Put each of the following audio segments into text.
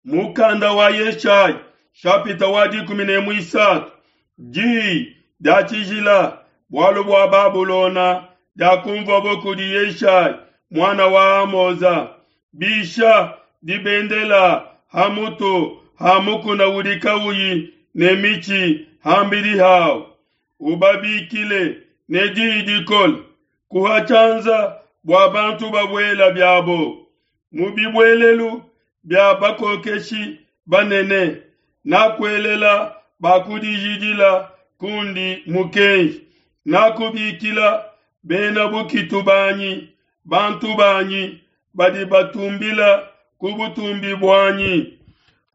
Mukanda wa Yeshaya shapita wa 13 diyi dia tshijila bualu bua Babulona diakumvuabo kudi Yeshaya muana wa Amoza. Bisha dibendela ha mutu ha mukuna udi kauyi ne mitshi ham'bidi hau, ubabikile ne diyi dikole, kuha tshianza bua bantu babuela biabo mu bibuelelu bia bakokeshi banene. Nakuelela bakudijidila kundi mukenji, nakubikila bena bukitu banyi, bantu banyi badi batumbila ku butumbi buanyi,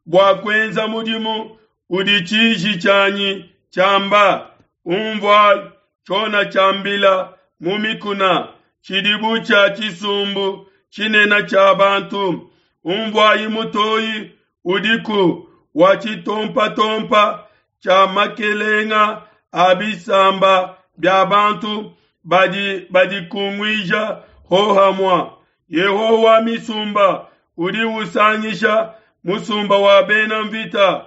bua kuenza mudimu udi tshiji tshianyi tshiamba. Unvuai tshiona tshiambila mu mikuna, tshidi bu tshia tshisumbu tshinene tshia bantu. Unvuai mutoyi udiku wa tshitompatompa tshia makelenga a bisamba bia bantu badi badikunguija hohamua. Yehowa wa misumba udi usangisha musumba wa bena mvita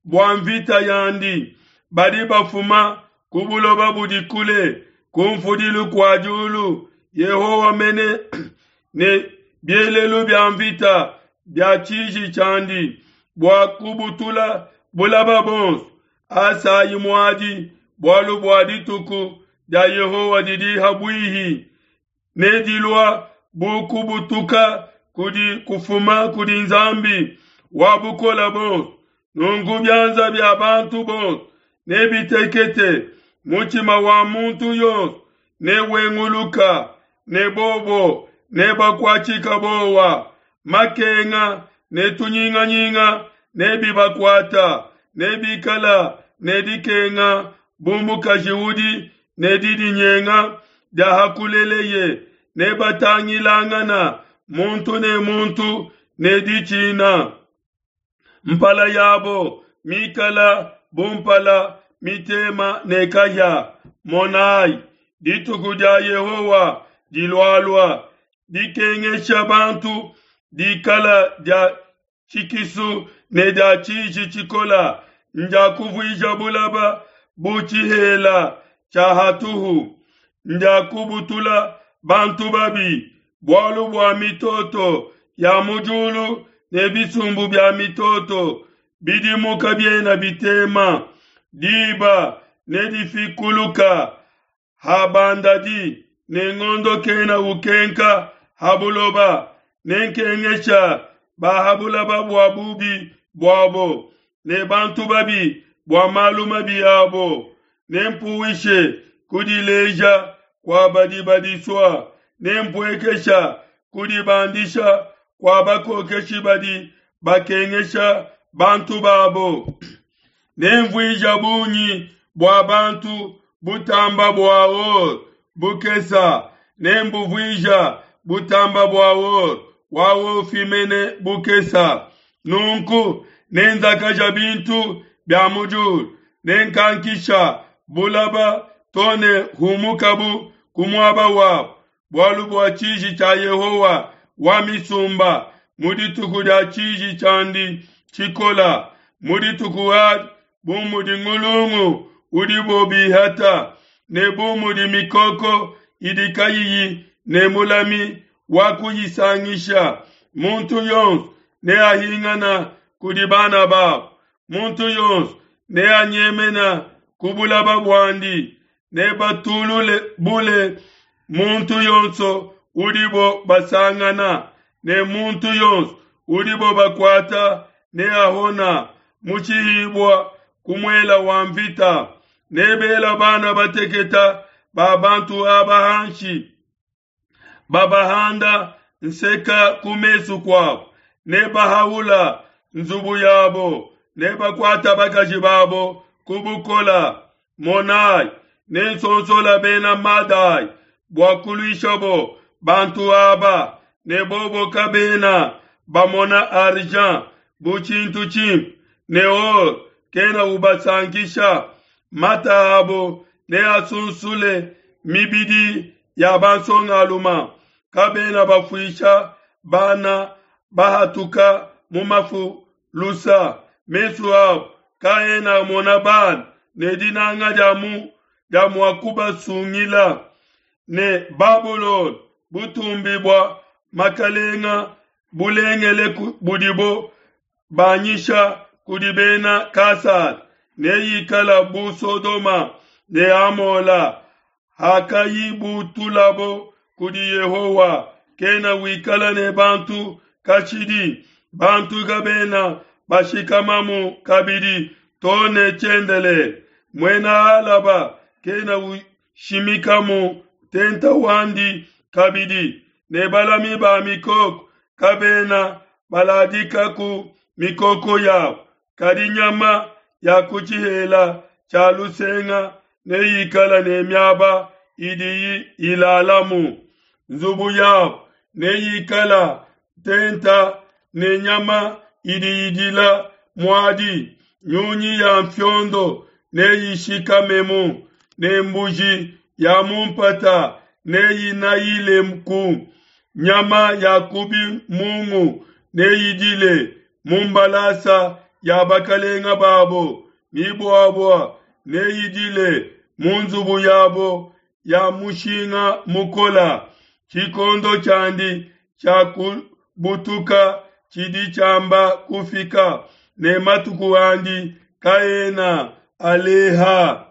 bua mvita yandi, badi bafuma ku buloba budi kule, ku mfudilu kua diulu. Yehowa mene ne bielelu bia mvita bia tshiji tshiandi bua kubutula bulaba bonso. Asayi muadi, bualu bua dituku dia Yehowa didi ha buihi, ne dilua bu kubutuka kudi kufuma kudi Nzambi wa bukole buonso. Nunku bianza bia bantu bonso nebitekete, mutshima wa muntu yonso newenguluka, ne bobo nebakuatshika bowa. Makenga ne tunyinganyinga nebibakuata, nebikala ne dikenga bu mukaji udi ne didinyenga dia hakuleleye, nebatangilangana muntu ne muntu ne ditshina. Mpala yabo mikala bu mpala mitema ne kahia. Monai, dituku dia Yehowa dilualua, dikengesha bantu dikala dia tshikisu ne dia tshiji tshikola, ndia kuvuija bulaba bu tshihela tshia hatuhu, ndia kubutula bantu babi, bualu bua mitoto ya mu diulu ne bisumbu bia mitoto bidimu kabiena bitema. Diba nedifikuluka habandadi ne ngondo kena ukenka ha buloba. Nenkengesha ba ha bulaba bua bubi buabo ne bantu babi bua malu mabi abo. Nempuwishe kudileja kua badi badisua, nempuekesha kudibandisha kua bakokeshi badi bakengesha bantu babo. Nemvuija bungi bua bantu butamba bua or bukesa, nembuvuija butamba bua or wa ofi mene bukesa. Nunku nenzakaja bintu bia mu diulu, nenkankisha bulaba to ne humukabu ku muaba wabu, bualu bua tshiji tshia Yehowa wa misumba mu dituku dia tshiji tshiandi tshikola. Mu dituku adi, bu mudi ngulungu udibo bihata, ne bu mudi mikoko idi kayiyi ne mulami wa kuyisangisha, muntu yonso neahingana kudi bana babo, muntu yonso neanyemena ku bulaba buandi, nebatulule bule muntu yonso udibo basangana, ne muntu yonso udibo bakuata neahona mu tshihibua ku muela wa mvita. Nebela bana bateketa ba bantu aba hanshi, babahanda nseka ku mesu kuabo, nebahaula nzubu yabo, nebakuata bakaji babo ku bukola. Monai, nensonsola bena Madai bua kuluishabo bantu aba, ne bobo kabena bamona argent bu tshintu tshimpe, ne or kena ubasankisha. Mata abo neasunsule mibidi ya bansongaluma, kabena bafuisha bana bahatuka mu mafu. lusa, mesu abo kaena amona bana, ne dinanga dia mu dia mua kubasungila. Ne Babulona, butumbi bua makalenga bulengele budibo banyisha kudi bena Kasada, neyikala bu Sodoma ne Amola hakayibutulabo kudi Yehowa, kena wikala ne bantu kashidi, bantu kabena bashikamamu kabidi to ne tshiendelele. Muena Alaba kena ushimikamu ntenta wandi kabidi, ne balami ba mikoko kabena baladikaku mikoko yabo, kadi nyama ya ku tshihela tshia lusenga neyikale ne miaba idiyi ilalamu. Nzubu yabo neyikala ntenta ne nyama idi idila muadi, nyunyi ya mfiondo neyishikamemu, ne mbuji ya mu mpata neyinayileku. Nyama ya ku bimungu neyidile mu mbalasa ya bakalenga babo, mibuabua neyidile mu nzubu yabo ya mushinga mukola. Tshikondo tshiandi tshia kubutuka tshidi tshiamba kufika, ne matuku andi kaena aleha.